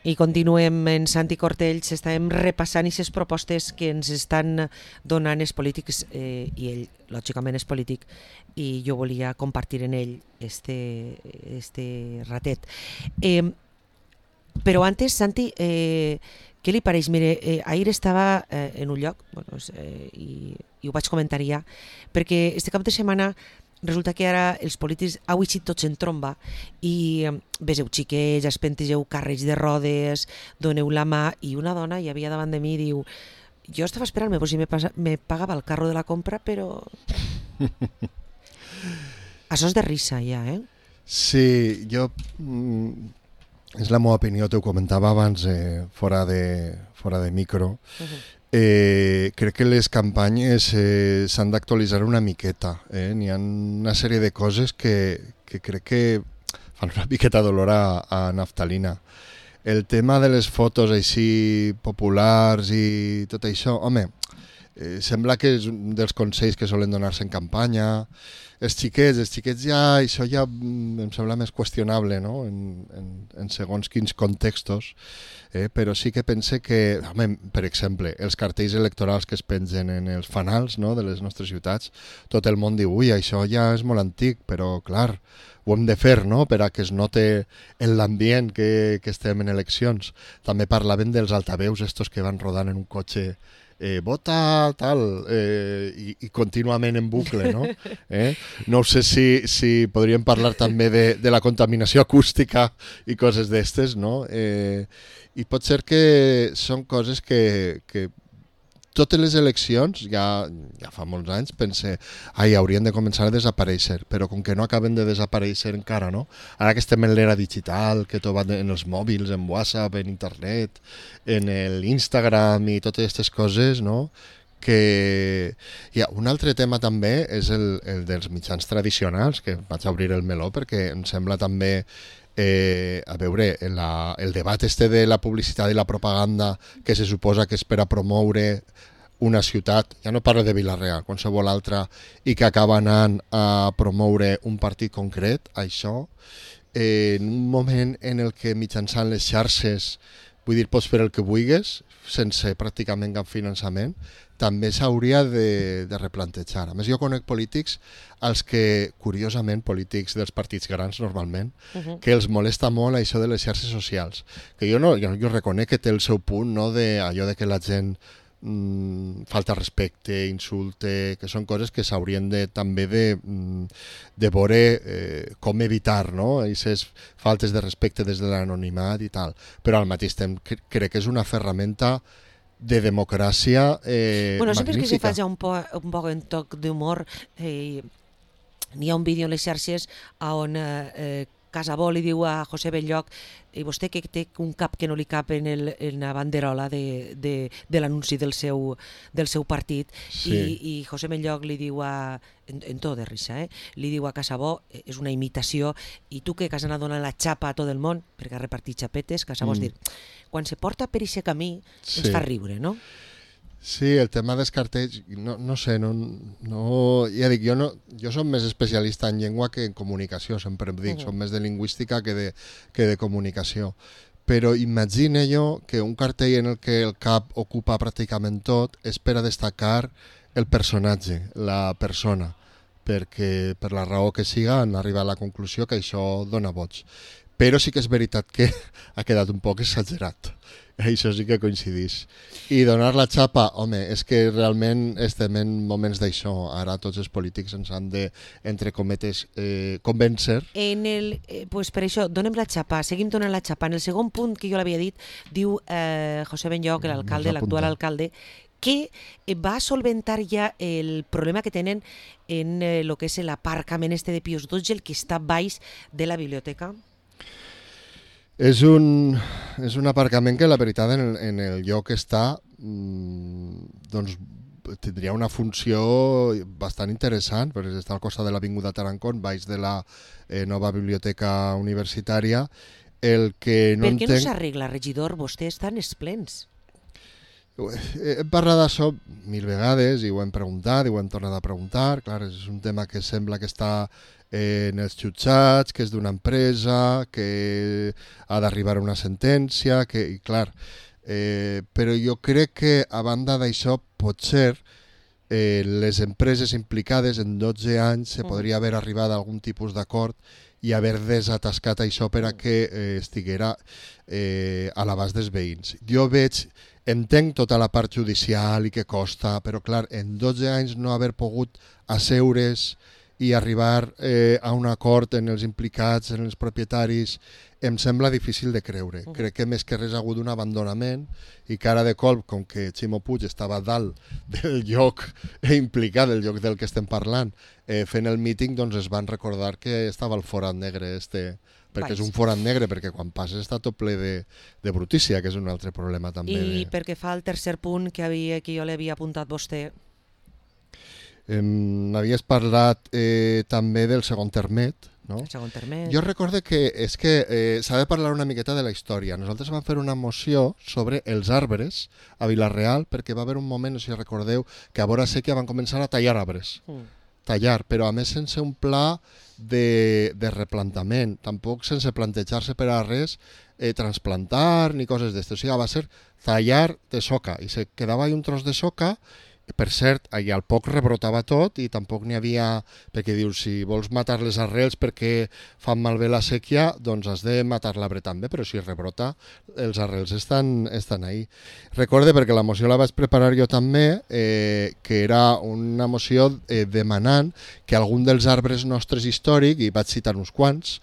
I continuem en Santi Cortells, estàvem repassant aquestes propostes que ens estan donant els polítics, i ell, lògicament, és polític, i jo volia compartir en ell este ratet. Però antes, Santi, què li pareix? Mire, ahir estava en un lloc, bueno, i ho vaig comentar ja, perquè este cap de setmana resulta que ara els polítics heu eixit tots en tromba i veseu xiquets, espentegeu carrets de rodes, doneu la mà, i una dona hi havia davant de mi i diu: jo estava esperant-me si me pagava el carro de la compra, però... Això és de risa ja, eh? Sí, jo... és la meva opinió, t'ho comentava abans fora de micro. Crec que les campanyes s'han d'actualitzar una miqueta. N'hi ha una sèrie de coses que crec que fan una miqueta d'olor a naftalina. El tema de les fotos així populars i tot això, home, sembla que és un dels consells que solen donar-se en campanya. Els xiquets ja, això ja em sembla més qüestionable, no? En segons quins contextos, però sí que pense que, home, per exemple, els cartells electorals que es pengen en els fanals, no?, de les nostres ciutats, tot el món diu: ui, això ja és molt antic, però clar, ho hem de fer, no?, per a que es note en l'ambient que estem en eleccions. També parlaven dels altaveus estos que van rodant en un cotxe, vota tal, i contínuament en bucle, no? No sé si podríem parlar també de la contaminació acústica i coses d'estes, no? I pot ser que són coses que totes les eleccions, ja fa molts anys, pense, haurien de començar a desaparèixer, però com que no acaben de desaparèixer encara, no? Ara que estem en l'era digital, que tot va en els mòbils, en WhatsApp, en internet, en l'Instagram i totes aquestes coses, no? Que un altre tema també és el dels mitjans tradicionals, que vaig a obrir el meló perquè em sembla també a veure, el debat de la publicitat i la propaganda que se suposa que és per a promoure una ciutat, ja no parlo de Vila-real, qualsevol altra, i que acaba anant a promoure un partit concret, això, en un moment en el que mitjançant les xarxes, vull dir, pots fer el que vulguis, sense pràcticament cap finançament, també s'hauria de replantejar. A més, jo conec polítics als que, curiosament, polítics dels partits grans normalment, que els molesta molt això de les xarxes socials. Que jo reconec que té el seu punt, no?, d'allò de que la gent falta respecte, insulte, que són coses que s'haurien també de veure com evitar, no?, aquestes faltes de respecte des de l'anonimat i tal. Però al mateix temps crec que és una ferramenta de democràcia bueno, sempre que se magnífica. faci un poc en toc d'humor, n'hi ha un vídeo en les xarxes on Casabó li diu a José Belloc: i vostè que té un cap que no li cap en la banderola de l'anunci del seu partit, Sí. i José Belloc li diu en to de risa, li diu a Casabó: és una imitació, i tu que has anat donant la xapa a tot el món perquè ha repartit xapetes. Casabó és dir, quan se porta per aquest camí ens fa riure, no? Sí, el tema dels cartells, no sé, ja dic, jo som més especialista en llengua que en comunicació, sempre em dic, som més de lingüística que de comunicació. Però imagine jo que un cartell en el que el cap ocupa pràcticament tot és per a destacar el personatge, la persona, perquè per la raó que siga han arribat a la conclusió que això dona vots. Però sí que és veritat que ha quedat un poc exagerat. Això sí que coincidís. I donar la xapa, home, és que realment estem en moments d'això. Ara tots els polítics ens han de, entre cometes, convèncer. Pues per això, donem la xapa, seguim donant la xapa. En el segon punt que jo l'havia dit, diu José Benlloc, l'alcalde, l'actual alcalde, que va solventar ja el problema que tenen en el que és l'aparcament de Pius XII, el que està baix de la biblioteca. És un aparcament que la veritat en el lloc que està doncs tindria una funció bastant interessant, perquè està al costat de l'Avinguda Tarancón, baix de la nova biblioteca universitària. El que no per què entenc... no s'arregla, regidor? Vostè està en els plens. Hem parlat d'això 1000 vegades i ho hem preguntat i ho hem tornat a preguntar. Clar, és un tema que sembla que està en els jutjats, que és d'una empresa, que ha d'arribar a una sentència, i clar, però jo crec que a banda d'això potser les empreses implicades en 12 anys se podria haver arribat a algun tipus d'acord i haver desatascat això per a que estiguera a l'abast dels veïns. Jo entenc tota la part judicial i que costa, però clar, en 12 anys no haver pogut asseure's i arribar a un acord en els implicats, en els propietaris, em sembla difícil de creure. Crec que més que res ha hagut un abandonament i cara de colp, com que Ximo Puig estava dalt del lloc implicat, del lloc del que estem parlant, fent el míting, doncs es van recordar que estava el forat negre perquè és un forat negre, perquè quan passes està tot ple de brutícia, que és un altre problema també. I perquè fa el tercer punt que jo l'havia apuntat vostè. Havies parlat també del segon termet, no? El segon termet. Jo recorde que s'ha de parlar una miqueta de la història. Nosaltres vam fer una moció sobre els arbres a Vila-real perquè va haver un moment, no sé si recordeu, que a vora sèquia van començar a tallar arbres. Tallar, però a més sense un pla de replantament, tampoc sense plantejar-se per a res transplantar ni coses d'estes. O sigui, va ser tallar de soca i se quedava un tros de soca. Per cert, allà al poc rebrotava tot i tampoc n'hi havia, perquè dius, si vols matar les arrels perquè fan malbé la sèquia, doncs has de matar l'arbre també, però si rebrota, els arrels estan ahí. Recorde, perquè la moció la vaig preparar jo també, que era una moció demanant que algun dels arbres nostres històrics, i vaig citar uns quants,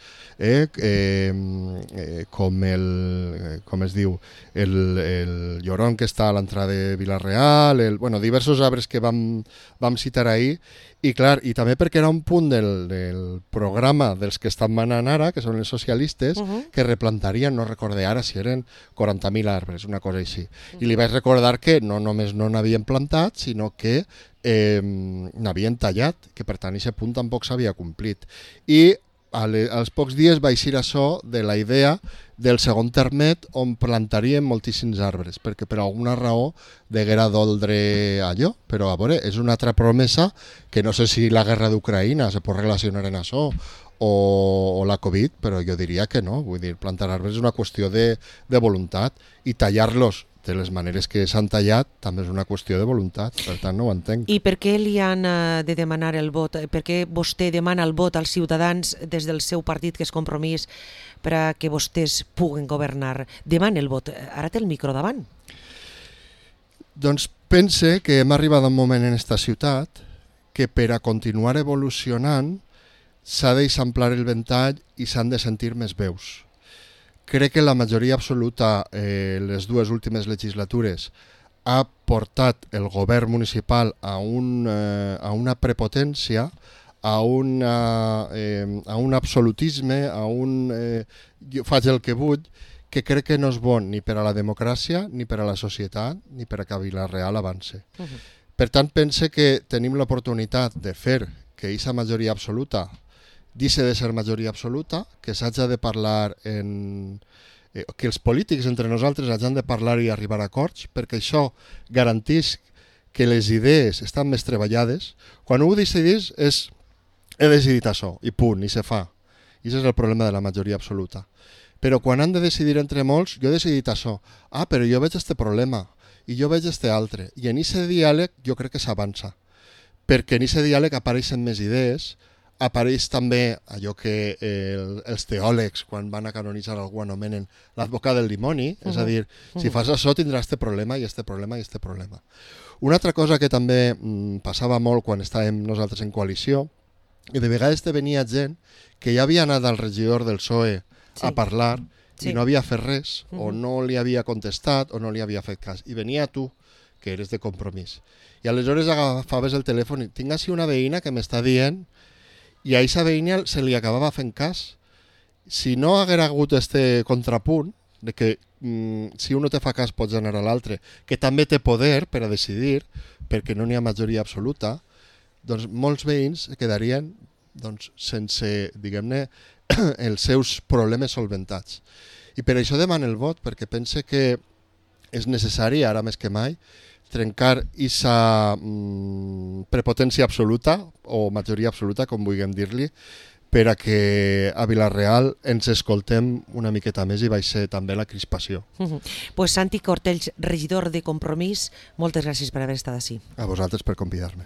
com es diu, el lloron que està a l'entrada de Vila-real, diversos arbres que vam citar ahir, i clar, i també perquè era un punt del programa dels que estan manant ara, que són els socialistes, que replantarien, no recordé ara si eren 40.000 arbres, una cosa així. I li vaig recordar que no només no n'havien plantat, sinó que n'havien tallat, que per tant aquest punt tampoc s'havia complit. I als pocs dies va eixir això de la idea del segon termet on plantarien moltíssims arbres, perquè per alguna raó deguera doldre allò, però a veure, és una altra promesa que no sé si la guerra d'Ucraïna se pot relacionar en això o la Covid, però jo diria que no, vull dir, plantar arbres és una qüestió de voluntat i tallar-los de les maneres que s'han tallat també és una qüestió de voluntat, per tant no ho entenc. I per què li han de demanar el vot? Per què vostè demana el vot als ciutadans des del seu partit, que és Compromís, per a que vostès puguen governar? Demana el vot. Ara té el micro davant. Doncs pense que hem arribat a un moment en esta ciutat que per a continuar evolucionant s'ha d'eixamplar el ventall i s'han de sentir més veus. Crec que la majoria absoluta, les dues últimes legislatures, ha portat el govern municipal a una prepotència, a un absolutisme, jo faig el que vull, que crec que no és bon ni per a la democràcia, ni per a la societat, ni per a que Vila-real avance. Per tant, pense que tenim l'oportunitat de fer que aquesta majoria absoluta deixa de ser majoria absoluta, que s'haja de parlar que els polítics entre nosaltres hagin de parlar i arribar a acords, perquè això garanteix que les idees estan més treballades. Quan ho decidís és he decidit això, i punt, i se fa. I això és el problema de la majoria absoluta. Però quan han de decidir entre molts, jo he decidit això. Però jo veig este problema, i jo veig este altre. I en aquest diàleg jo crec que s'avança, perquè en aquest diàleg apareixen més idees, apareix també allò que els teòlegs, quan van a canonitzar algú, anomenen l'advocat del dimoni, és a dir, si fas això tindràs este problema i este problema i este problema. Una altra cosa que també passava molt quan estàvem nosaltres en coalició, i de vegades te venia gent que ja havia anat al regidor del PSOE a parlar i no havia fet res, o no li havia contestat, o no li havia fet cas. I venia tu, que eres de Compromís. I aleshores agafaves el telèfon i tinc així una veïna que m'està dient, i a aquesta veïna se li acabava fent cas. Si no haguera hagut este contrapunt, de que si un no te fa cas pots anar a l'altre, que també té poder per a decidir, perquè no n'hi ha majoria absoluta, doncs molts veïns quedarien sense, diguem-ne, els seus problemes solventats. I per això demano el vot, perquè pense que és necessari, ara més que mai, trencar aquesta prepotència absoluta o majoria absoluta, com vulguem dir-li, per a que a Vila-real ens escoltem una miqueta més i baixi també la crispació. Pues Santi Cortells, regidor de Compromís, moltes gràcies per haver estat ací. A vosaltres per convidar-me.